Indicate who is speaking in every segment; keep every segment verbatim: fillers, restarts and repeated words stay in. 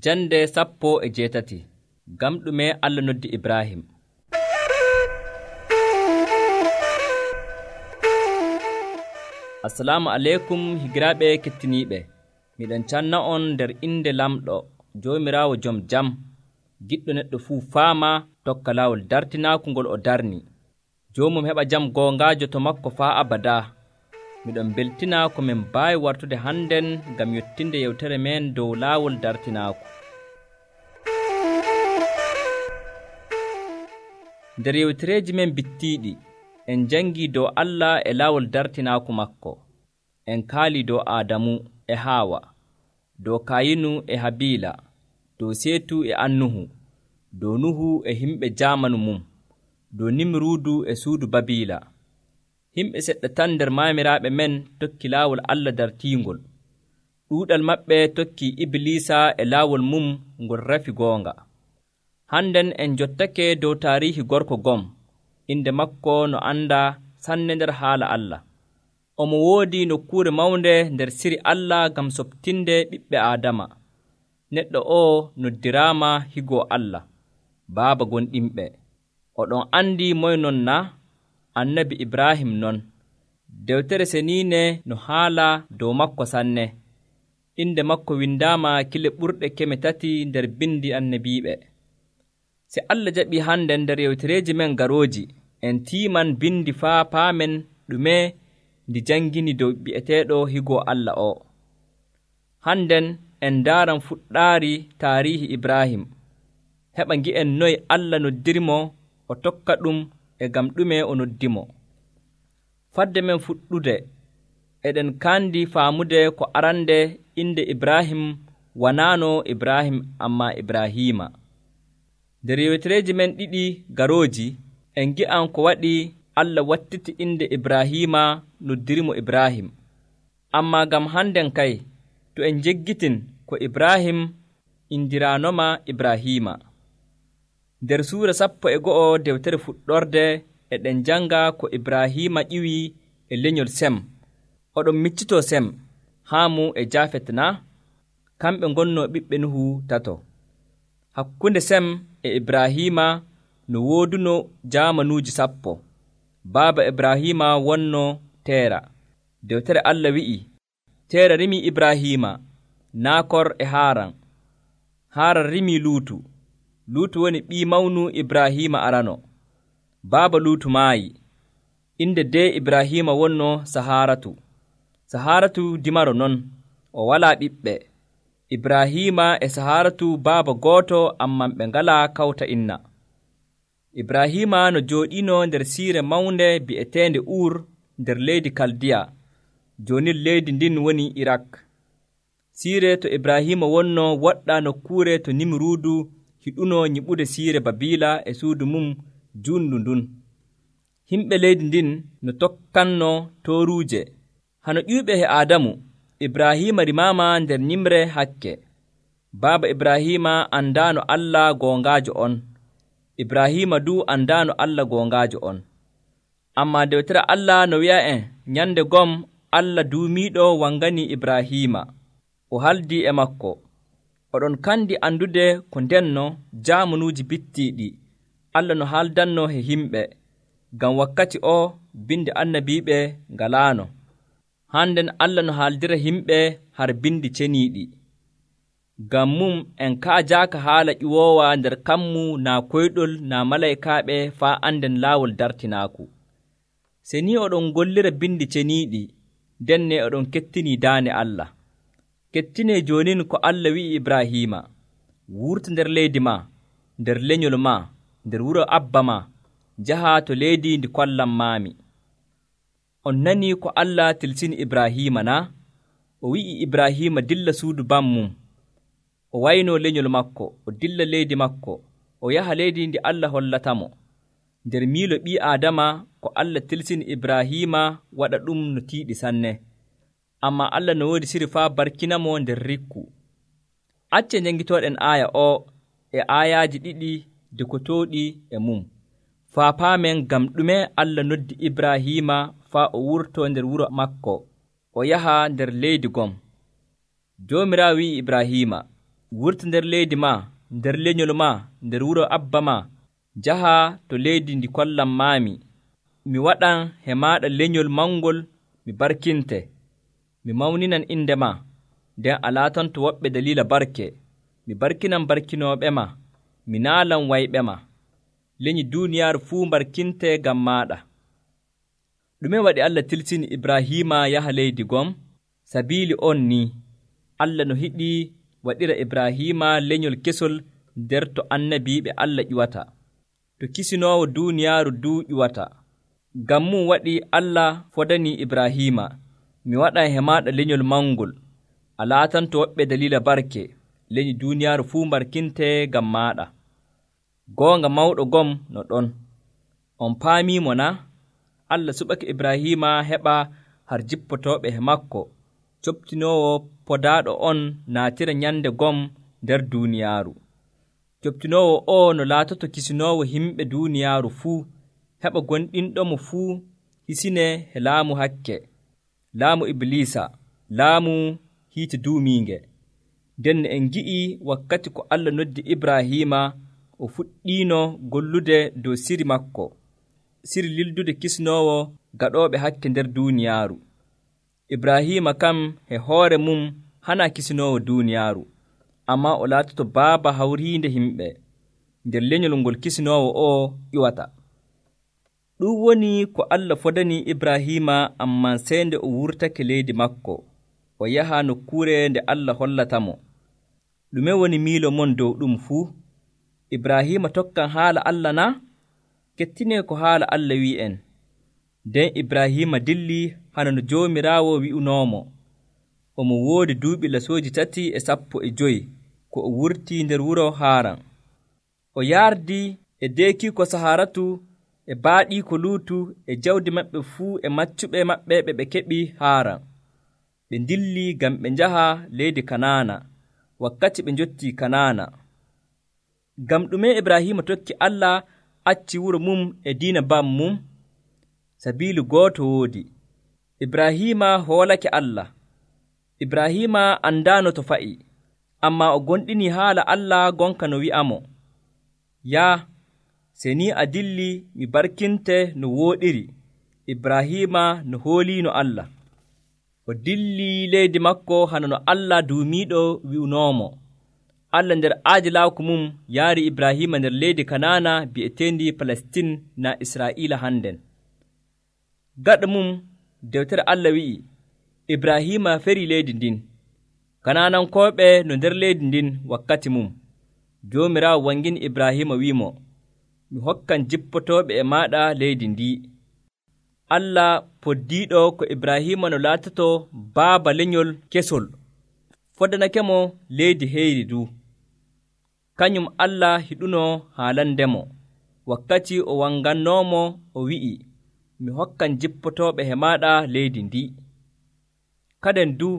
Speaker 1: Jande sappo e jeetati. Ngam ɗume Allah noddi Ibrahim. Assalamu aleykum higiraaɓe kettiniiɓe. Miɗen canna on nder inde lamɗo Joomiraawo jom jam, giɗɗo neɗɗo fuu faama tokka laawol dartinaaku ngol o darni. Joomum heɓa jam goongaajo to makko faa abadaa. Miɗon beltina ko min mbaawi wartude hannden ngam yottinde yewtere men dow laawol dartinaaku. Nder yewtereeji men bittiiɗi, en jangii dow Allah e laawol dartinaaku makko. En kaalii dow Aadamu e Haawa, dow Kayinu e Habiila, dow Seetu e Annuhu, dow Nuhu e himɓe jaamanu mum, dow Nimruudu e suudu Babiila. Himɓe seɗɗa tan nder maamiraaɓe men tokki laawol Allah dartiingol. Ɗuuɗal maɓɓe tokki Ibliisa e laawol mum ngol rafi goonga. Hannden en jottake dow taariihi gorko gom, inde makko no andaa sanne nder haala Allah. Omo woodi nokkuure mawnde nder siri Allah ngam soɓtinde ɓiɓɓe Aadama. Neɗɗo oo noddiraama higoo Allah, baaba gonɗinɓe. Oɗon andi moye non na? Annabi Ibrahim non. Dewtere seniine no haala dow makko sanne. Inde makko windaama kile ɓurɗe keme tati nder bindi annabiiɓe. Se Allah jaɓii hande nder yewtereeji men garooji, en tiiman bindi faa paamen ɗume ndi jangini dow bi'eteeɗo higoo Allah o. Hannden en ndaaran fuɗɗaari taariihi Ibrahim. Heɓa ngi'en noye Allah noddirimo o tokka ɗum e gam ɗume o noddimo. Fadde men fuɗɗude, eɗen kandi faamude ko arande inde Ibrahim wanaano Ibrahim amma Ibrahima. Nder yewtereeji men ɗiɗi garooji, en gi'an ko waɗi Allah wattiti inde Ibrahima noddirimo Ibrahim. Amma gam hannden kay, to en jeggitin ko Ibrahim indiraanoma Ibrahima. Nder suura sappo e go'o dewtere fuɗɗorde eɗen janga ko Ibrahima ƴiwi e lenyol Sem. Oɗon miccitoo Sem, Haamu e Jaafet na? Kamɓe ngonnoo ɓiɓɓe Nuhu tato. Hakkunde Sem e Ibrahima no wooduno jaamanuuji sappo. Baaba Ibrahima wonno Teera. Dewtere Allah wi'i, Teera rimii Ibrahima, Naakor e Haaran. Haaran rimii Luutu. Luutu woni ɓii mawnu Ibrahima arano. Baaba Luutu maayi. Inde dee Ibrahima wonno Sahaaratu. Sahaaratu dimaro non, o walaa ɓiɓɓe. Ibrahima e Sahaaratu baaba gooto amman ɓe ngalaa kawta inna. Ibrahima no jooɗiino nder siire mawnde bi'eteende Uur nder leydi Kaldiya. Joonin leydi ndin woni Irak. Siire to Ibrahima wonno woɗɗa nokkuure to Nimruudu hiɗuno nyiɓude siire Babiila e suudu mum juundu ndun. Himɓe leydi ndin no tokkanno tooruuje. Hano ƴuyɓe he Aadamu, Ibrahima rimaama nder nyimre hakke. Baaba Ibrahima andaano Allah goongaajo on. Ibrahima du andaano Allah goongaajo on. Amma dewtere Allah no wi'a en nyande gom Allah duumiiɗo wangani Ibrahima. O haldi e makko. Oɗon kandi andude ko ndenno jaamanuuji bittiiɗi Allah no haaldanno he himɓe. Ngam wakkati o bindi annabiiɓe ngalaano. Hannden Allah no haaldira himɓe har bindi ceniiɗi. Ngam mum en kaajaaka haala ƴiwoowa nder kammu naa koyɗol naa malaykaaɓe faa anden laawol dartinaaku. Se ni oɗon gollira bindi ceniiɗi, ndenne oɗon kettinii daane Allah. Kettinee joonin ko Allah wi'i Ibrahima, wurta nder leydi ma, nder lenyol ma, nder wuro abba ma, njaha to leydi ndi kollam maami. On nanii ko Allah tilsini Ibrahima na? O wi'i Ibrahima dilla suudu bammum. O waynoo lenyol makko, o dilla leydi makko, o yaha leydi ndi Allah hollatamo. Nder miilo ɓii Aadama ko Allah tilsini Ibrahima waɗa ɗum no tiiɗi sanne. Amma Allah no woodi siri faa barkinamo nder rikku. Acce njangitooɗen aaya o e aayaaji ɗiɗi dekotooɗi e mum. Faa paamen ngam ɗume Allah noddi Ibrahima faa o wurtoo nder wuro makko, o yaha nder leydi gom. Joomiraawo wi'i Ibrahima, wurta nder leydi maa, nder lenyol maa, nder wuro abba maa, njaha to leydi ndi kollam maami. Mi waɗan he maaɗa lenyol mangol mi barkinte, mi mawninan inde maa, nden a laatanto woɓɓe daliila barke. Mi barkinan barkinooɓe maa, mi naalan wayɓe maa. Lenyi duuniyaaru fuu barkinte ngam maaɗa. Ɗume waɗi Allah tilsini Ibrahiima yaha leydi gom? Sabiili on ni, Allah no hiɗi waɗira Ibrahiima lenyol kesol nder to annabiiɓe Allah ƴuwata, to kisinoowo duuniyaaru duu ƴuwata. Ngam mum waɗi Allah fodanii Ibrahiima, mi waɗan he maaɗa lenyol mangol, a laatanto woɓɓe daliila barke, lenyi duuniyaaru fuu barkinte ngam maaɗa. Goonga mawɗo gom no ɗon. On paamiimo na? Allah suɓake Ibrahiima heɓa har jippotooɓe he makko, coptinoowo podaaɗo on naatira nyande gom nder duuniyaaru. Coptinoowo o no laatoto kisinoowo himɓe duuniyaaru fuu, heɓa gonɗinɗomo fuu hisine he laamu hakke, laamu Ibliisa, laamu hiite duumiinge. Nden en ngi'i wakkati ko Allah noddi Ibrahiima, o fuɗɗiino gollude dow siri makko, siri lildude kisnoowo gaɗooɓe hakke nder duuniyaaru. Ibrahiima kam he hoore mum hana kisinoowo duuniyaaru, ammaa o laatoto baaba hawriinde himɓe nder lenyol ngol kisinoowo o ƴuwata. Ɗum woni ko Allah fodanii Ibrahiima, ammaa sey nde o wurtake leydi makko, o yaha nokkuure nde Allah hollatamo. Ɗume woni miilo mon dow ɗum fuu? Ibrahiima tokkan haala Allah na? Kettinee ko haala Allah wi'en. Nden Ibrahiima dilli hana no Joomiraawo wi'unoomo. Omo woodi duuɓi lasooji tati e sappo e joyi ko o wurtii nder wuro Haaran. O yaardii e deekiiko Saharatu e baaɗiiko Luutu e jawdi maɓɓe fuu e maccuɓe maɓɓe ɓe ɓe keɓi Haaran. Ɓe ndilli ngam ɓe njaha leydi Kanaana, wakkati ɓe njottii Kanaana. Ngam ɗume Ibrahiima tokki Allah acci wuro mum e diina bam mum? Sabiili gooto woodi. Ibrahiima hoolake Allah. Ibrahiima andaano to fa'i, ammaa o gonɗinii haala Allah gonka no wi'amo, yaa, se ni a dilli mi barkinte no wooɗiri. Ibrahiima no hooliino Allah. O dilli leydi makko hana no Allah duumiiɗo wi'unoomo. Allah nder aadilaaku mum yaari Ibrahiima nder leydi Kanaana bi'eteendi Palestin na Israa'iila hannden. Gaɗa mum dewtere Allah wi'i, Ibrahiima ferii leydi ndin. Kanaanankooɓe no nder leydi ndin wakkati mum. Joomiraawo wangini Ibrahiima wi'imo, mi hokkan jippotooɓe e maaɗa leydi ndi. Allah poddiiɗo ko Ibrahiima no laatoto baaba lenyol kesol, fodanakemo leydi heyri du. Kañum Allah hiɗunoo haalandemo, wakkati o wangannoomo o wi'i, mi hokkan jippotooɓe he maaɗa leydi ndi. Kaden du,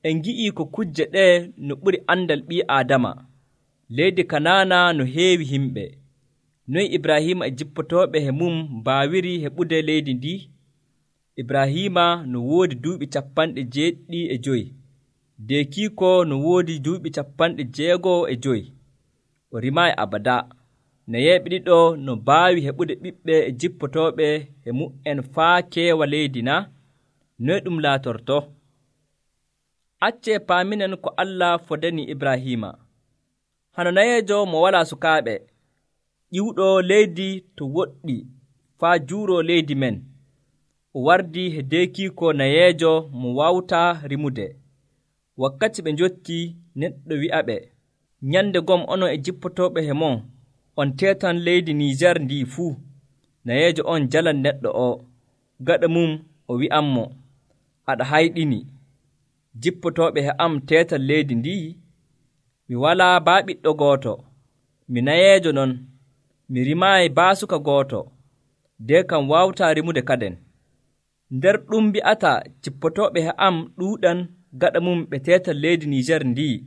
Speaker 1: en ngi'ii ko kujje ɗee no ɓuri andal ɓii Aadama. Leydi Kanaana no heewi himɓe. Noy Ibrahiima e jippotooɓe he mum mbaawiri heɓude leydi ndi? Ibrahiima no woodi duuɓi capanɗe jeeɗiɗi e joyi. Deekiiko no woodi duuɓi capanɗe jeegoo e joyi. O rimaayi abada. Nayeeɓe ɗiɗo no mbaawi heɓude ɓiɓɓe e jippotooɓe he mu'en faa keewa leydi na? Noy ɗum laatorto? Accee paaminen ko Allah fodanii Ibrahiima. Hano nayeejo mo walaa sukaaɓe, ƴiwɗo leydi to woɗɗi faa juuroo leydi men. O wardii he deekiiko nayeejo mo waawtaa rimude. Wakkati ɓe njottii, neɗɗo wi'aɓe, nyande gom onon e jippotooɓe he mon, on teetan leydi Niijar ndii fuu. Nayeejo on jalan neɗɗo o. Gaɗa mum o wi'anmo, aɗa hayɗini. Jippotooɓe he am teetan leydi ndii? Mi walaa baa ɓiɗɗo gooto. Mi nayeejo non. Mi rimaayi baa suka gooto. Dee kam waawtaa rimude kaden. Nder ɗum mbi'ata jippotooɓe he am ɗuuɗan gaɗa mum ɓe teetan leydi Niijar ndii,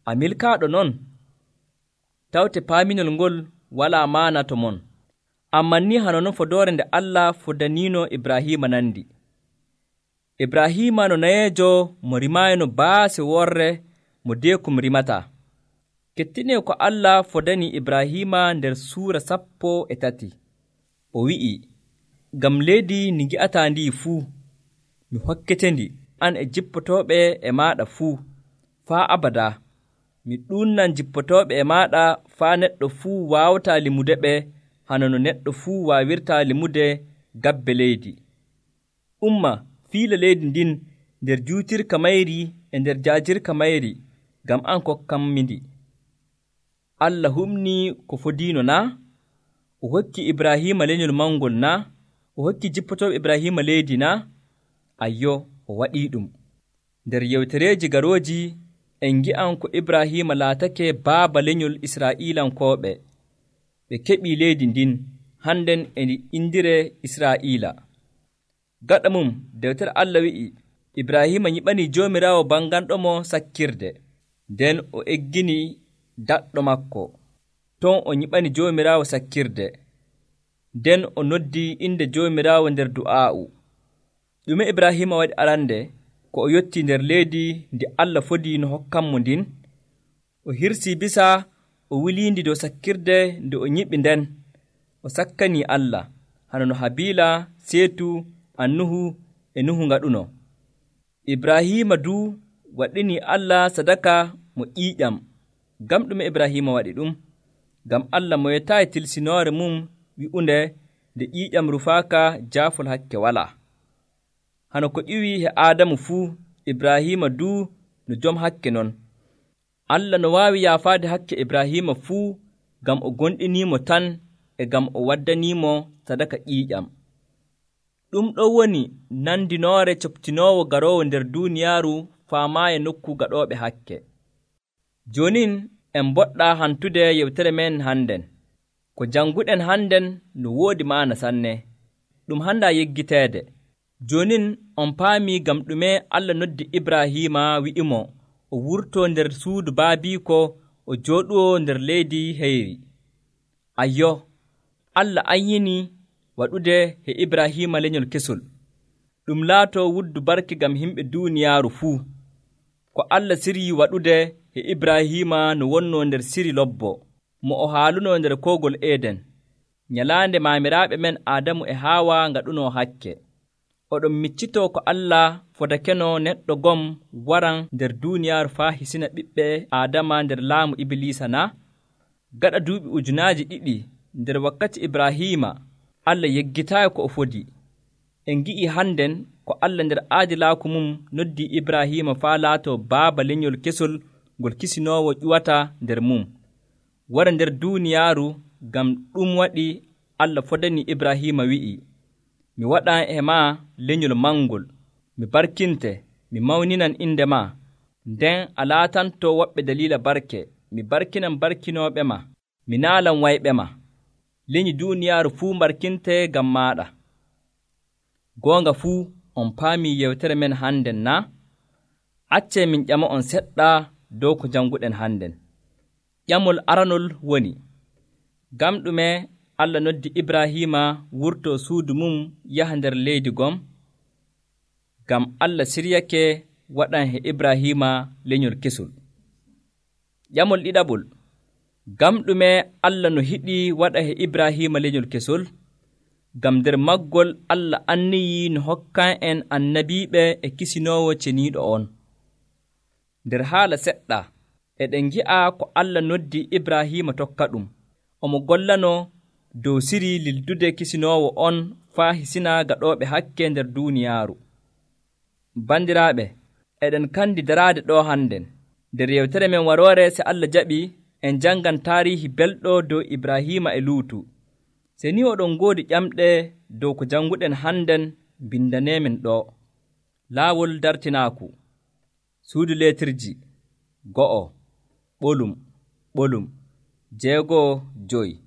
Speaker 1: a milkaaɗo non? Tawte paaminol ngol walaa maana to mon. Amman ni hano non fodoore nde Allah fodaniino Ibrahiima nandi. Ibrahiima no nayeejo mo rimaayino baase worre mo deekum rimataa. Kettinee ko Allah fodani Ibraahima nder suura sappo e tati. O wi'i, ngam leydi ndi ngi'ataa ndi fuu, mi hokkete-ndi an e jippotooɓe e maaɗa fuu faa abadaa. Mi ɗuunan jippotooɓe e maaɗa faa neɗɗo fuu waawataa limude ɓe hano no neɗɗo fuu waawirtaa limude gabbe leydi. Umma fiila leydi ndin nder juutirka mayri e nder jaajirka mayri, ngam an kokkanmi ndi. Allah humnii ko fodiino naa? O hokki Ibraahima lenyol mangol naa? O hokki jippotooɓe Ibraahima leydi naa? Ayyo, o waɗii ɗum. Nder yewtereeji garooji en ngi'an ko Ibraahima laatake baaba lenyol Israa'iilankooɓe. Ɓe keɓii leydi ndin, hannden e ndi indiree Israa'iila. Gaɗa mum, dewtere Allah wi'i, Ibraahima nyiɓanii Joomiraawo banganɗomo sakkirde, nden o eggini daɗɗo makko. Ton o nyiɓani Joomiraawo sakkirde, nden o noddii inde Joomiraawo nder du'aa'u. Ɗume Ibraahima waɗi arande ko o yottii nder leydi ndi Allah fodii no hokkanmo ndin? O hirsii bisa o wiliindi dow sakkirde nde o nyiɓi nden, o sakkanii Allah, hano no Habiila, Seetu, Annuhu e Nuhu ngaɗuno. Ibraahima duu waɗinii Allah sadaka mo ƴiiƴam. Ngam ɗume Ibraahima waɗi ɗum? Ngam Allah moyetaayi tilsinoore mum wi'unde nde ƴiiƴam rufaaka jaafol hakke walaa. Hano ko ƴiwii he Aadamu fuu, Ibraahima duu no jom hakke non. Allah no waawi yaafaade hakke Ibraahima fuu ngam o gonɗiniimo tan e ngam o waddaniimo sadaka ƴiiƴam. Ɗum ɗo woni nandinoore coptinoowo garoowo nder duuniyaaru faamaaye nokku gaɗooɓe hakke. Joonin en mboɗɗaa hantude yewtere men hannden. Ko jannguɗen hannden no woodi maana sanne. Ɗum handaa yeggiteede. Joonin on paamii ngam ɗume Allah noddi Ibraahima wi'imo o wurtoo nder suudu baabiiko o jooɗuwo nder leydi heyri. Ayyo, Allah anyinii waɗude he Ibraahima lenyol kesol. Ɗum laatoo wuddu barke ngam yimɓe duuniyaaru fuu. Ko Allah sirii waɗude he Ibraahima no wonnoo nder siri lobbo, mo o haalunoo nder koogol Eeden, nyalaande maamiraaɓe men Aadamu e Haawa ngaɗunoo hakke. Oɗon miccitoo ko Allah fodakeno neɗɗo gom waran nder duuniyaaru faa hisina ɓiɓɓe Aadama nder laamu Ibliisa naa? Gaɗa duuɓi ujunaaji ɗiɗi nder wakkati Ibraahima, Allah yeggitaayi ko o fodi. En ngi'ii hannden ko Allah nder aadilaaku mum noddii Ibraahima faa laatoo baaba lenyol kesol ngol kisinoowo ƴuwata nder mum, wara nder duuniyaaru. Ngam ɗum waɗi Allah fodani Ibraahima wi'i, mi waɗan e maa lenyol mangol, mi barkinte, mi mawninan inde maa, nden a laatanto woɓɓe daliila barke, mi barkinan barkinooɓe ma, mi naalan wayɓe ma. Lenyi duuniyaaru fuu barkinte ngam maaɗa. Goonga fuu on paamii yewtere men hannden naa? Accee min ƴama on seɗɗa dow ko jannguɗen hannden. Ƴamol aranol woni, ngam ɗume Allah noddi Ibraahima wurtoo suudu mum yaha nder leydi gom? Ngam Allah siryake waɗan he Ibraahima lenyol kesol. Ƴamol ɗiɗaɓol, ngam ɗume Allah no hiɗi waɗa he Ibraahima lenyol kesol? Ngam nder maggol Allah anniyii no hokkan en annabiiɓe e kisinoowo ceniiɗo on. Nder haala seɗɗa eɗen ngi'a ko Allah noddi Ibraahima tokka ɗum, omo gollanoo dow siri lildude kisinoowo on faa hisina gaɗooɓe hakke nder duuniyaaru. Bandiraaɓe, eɗen kandi daraade ɗo hannden. Nder yewtere men waroore se Allah jaɓi en janngan taariihi belɗo dow Ibraahima e Luutu. Se ni oɗon ngoodi ƴamɗe dow ko jannguɗen hannden, bindaneemin ɗo. Laawol dartinaaku. Suudu leetirji go'o, ɓolum, ɓolum, jeegoo, joyi.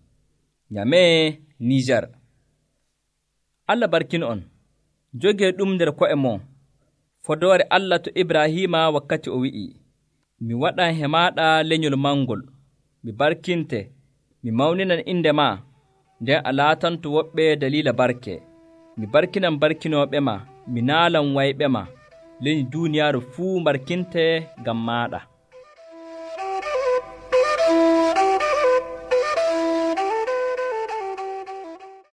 Speaker 1: Nyamee Niijar. Allah barkin on. Jogee ɗum nder ko'e mon. Fodoore Allah to Ibraahima wakkati o wi'i, mi waɗan he maaɗa lenyol mangol, mi barkinte, mi mawninan inde maa, nden a laatanto woɓɓe daliila barke. Mi barkinan barkinooɓe ma, mi naalan wayɓe ma, lenyi duuniyaaru fuu barkinte ngam maaɗa.